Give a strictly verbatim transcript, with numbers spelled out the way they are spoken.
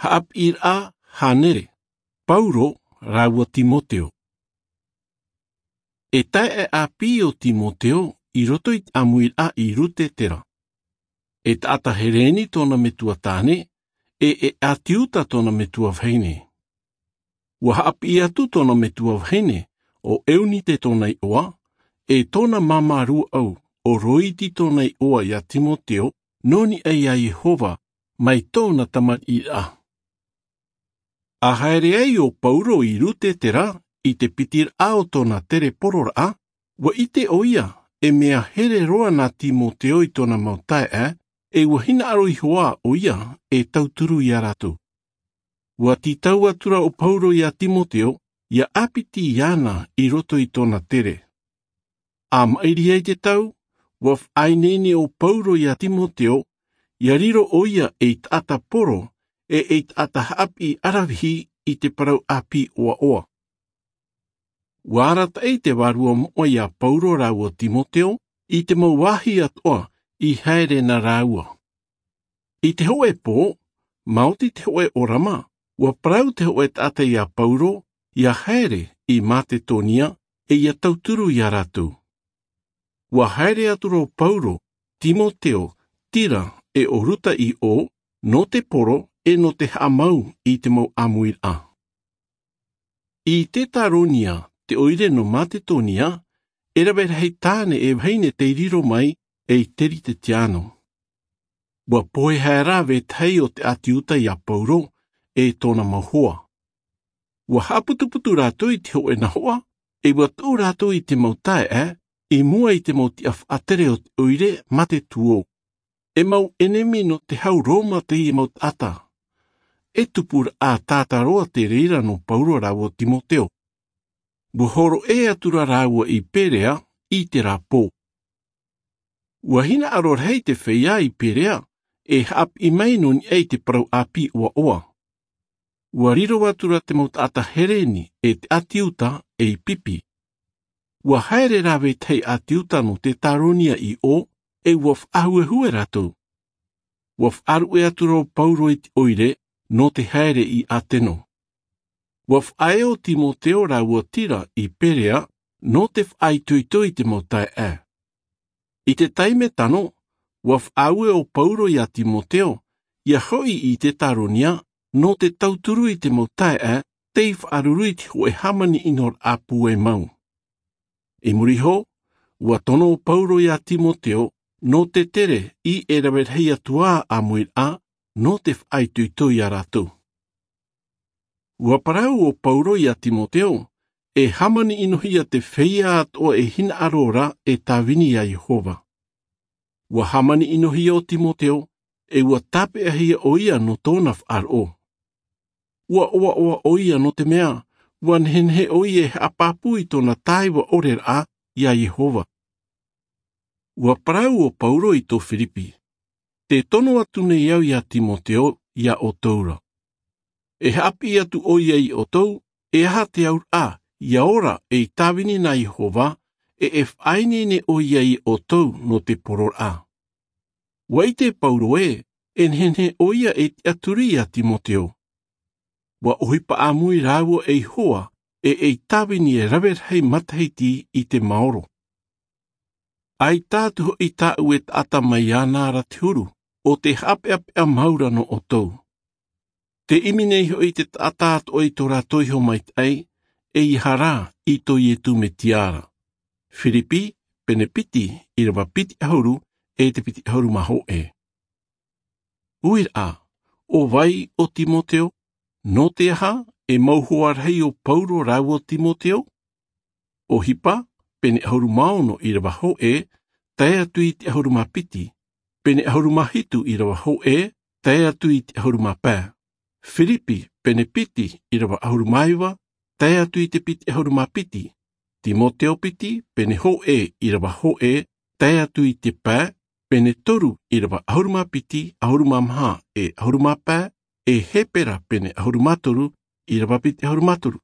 Haʻapiʻiraʻa hānere. Pauro rāua Timoteo. E taeaʻe ʻāpī ʻo Timoteo i roto i te ʻāmuiraʻa i Rutetera. E taʻata Hereni tōna metua tāne, e e ʻĀti Iuta tōna metua vahine. Ua haʻapiʻi atu tōna metua vahine, ʻo Eunite tōna iʻoa, e tōna māmā rūʻau, ʻo Roiti tōna iʻoa iā Timoteo, nō niʻa iā Iehova, mai tōna tamariʻiraʻa. A haere ai ʻo Pauro i Rutetera i te pitiraʻa o tōna tere pororaʻa, ua ʻite ʻoia e mea here roa nā Timoteo i tōna mau taeaʻe, e ua hinaʻaro iho ā ʻoia e tauturu iā rātou. Ua tītau atu ra ʻo Pauro iā Timoteo, ʻia ʻāpiti iāna i roto i tōna tere. A maʻiri ai te tau, ua faʻaineine ʻo Pauro iā Timoteo, ʻia riro ʻoia ei taʻata poro, e ei taʻata haʻapiʻi ʻaravihi i te parau ʻāpī ʻoaʻoa. Ua arataʻi te vārua moʻa iā Pauro rāua Timoteo, i te mau vāhi atoʻa i haere nā rāua. I te hōʻē pō, maoti te hōʻē ʻōrama, ua parau te hōʻē taʻata iā Pauro, ʻia haere i Matetonia, e ʻia tauturu iā rātou. Ua haere atu ra ʻo Pauro, Timoteo, Tira, e ʻo Ruta i ʻō, nō te poro, e nō te haʻamau i te mau ʻāmuiraʻa. I Tetaronia, te ʻoire nō Matetonia, e rave rahi tāne e vahine tei riro mai, ei Teritetiano. Ua pohe haere ra vetahi o te ʻĀti Iuta iā Pauro, e tōna mau hoa. Ua haʻaputuputu rātou i te hōʻē nahoʻa, e ua tuʻu rātou i te mau taeaʻe, i mua i te mau tiʻa faʻatere o te ʻoire mā te tuō. E mau ʻenemi nō te hau Roma teie mau taʻata. E tupuraʻa tātāroa te reira nō Pauro rāua Timoteo. Ua hōroʻa atu ra rāua i Perea i terā pō. Ua hinaʻaro rahi te feiā i Perea, e haʻapiʻi mai nō niʻa i te parau ʻāpī ʻoaʻoa. Ua riro atu ra te mau taʻata Hereni, e te ʻĀti Iuta, ei pipi. Ua haere ra vetahi ʻĀti Iuta nō Tetaronia i ʻō, e ua faʻahuehue rātou. Ua faʻaruʻe atu ra ʻo Pauro i te ʻoire, nō te haere i Ateno. Ua faʻaea ʻo Timoteo rāua Tira i Perea, nō te faʻaitoito i te mau taeaʻe. I te taime tano, ua faʻaue ʻo Pauro iā Timoteo, ʻia hoʻi i Tetaronia, nō te tauturu i te mau taeaʻe, tei faʻaruru i te hōʻē hāmani ʻino rāpū e mau. I muri iho, ua tono ʻo Pauro iā Timoteo, nō te tere i e rave rahi atu ā ʻāmuiraʻa, nō te faʻaitoito iā rātou. Ua parau ʻo Pauro iā Timoteo, e hāmani ʻinohia te feiā atoʻa e hinaʻaro ra e tāvini iā Iehova. Ua hāmani ʻinohia ʻo Timoteo, e ua tāpeʻahia ʻoia nō tōna faʻaroʻo. Ua ʻoaʻoa ʻoia nō te mea, ua nehenehe ʻoia e haʻapāpū i tōna tāiva ʻoreraʻa iā Iehova. Ua parau ʻo Pauro i tō Firipi, tē tono atu nei au iā Timoteo, iā ʻoutou ra. E haʻapiʻi atu ʻoia iā ʻoutou, e aha te auraʻa, ʻia ora ei tāvini nā Iehova, e e faʻaineine ʻoia iā ʻoutou nō te pororaʻa. Ua ʻite Pauro ē, e nehenehe ʻoia e tiʻaturi iā Timoteo. Ua ʻohipa ʻāmui rāua ei hoa, e ei tāvini e rave rahi matahiti i te maoro. ʻAita atu hoʻi tāʻu e taʻata mai iāna ra te huru, ʻo te haʻapeʻapeʻa mau ra nō ʻoutou. Tē ʻimi nei hoʻi te taʻata atoʻa i tō rātou iho maitaʻi, e ʻeiaha rā i tō Iesu Mesia ra. Firipi, pene piti, ʻīrava piti ʻahuru, e te piti ʻahuru mā hōʻē. ʻUiraʻa, ʻo vai ʻo Timoteo, nō te aha e mau hoa rahi ʻo Pauro rāua Timoteo? ʻOhipa, pene ʻahuru mā ono ʻīrava hōʻē, tae atu i te ʻahuru mā piti, pene ʻahuru mā hitu ʻīrava hōʻē, tae atu i te ʻahuru mā pae. Firipi, pene piti ʻīrava ʻahuru mā iva, tae atu i te piti ʻahuru mā piti. Timoteo piti, pene hōʻē ʻīrava hōʻē, tae atu i te pae, pene toru ʻīrava ʻahuru mā piti, ʻahuru mā maha, e ʻahuru mā pae, e Hepera pene ʻahuru mā toru, ʻīrava piti ʻahuru mā toru.